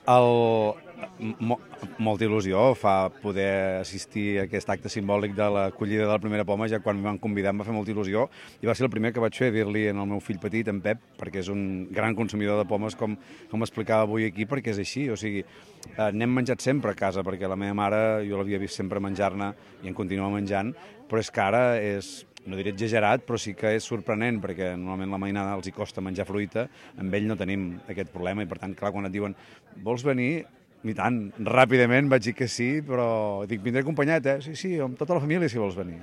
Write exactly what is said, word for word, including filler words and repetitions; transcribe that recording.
El... Mo molta il·lusió fa poder assistir a aquest acte simbòlic de l'acollida de la primera poma. Ja quan em van convidar em va fer molta il·lusió i va ser el primer que vaig fer, dir-li al meu fill petit, en Pep, perquè és un gran consumidor de pomes, com, com explicava avui aquí, perquè és així. O sigui, eh, n'hem menjat sempre a casa, perquè la meva mare, jo l'havia vist sempre menjar-ne i en continua menjant, però és que ara és, no diré exagerat, però sí que és sorprenent, perquè normalment la mainada els hi costa menjar fruita, amb ell no tenim aquest problema, i per tant, clar, quan et diuen vols venir? I tant, ràpidament vaig dir que sí, però dic, vindré acompanyat, eh? Sí, sí, amb tota la família si vols venir.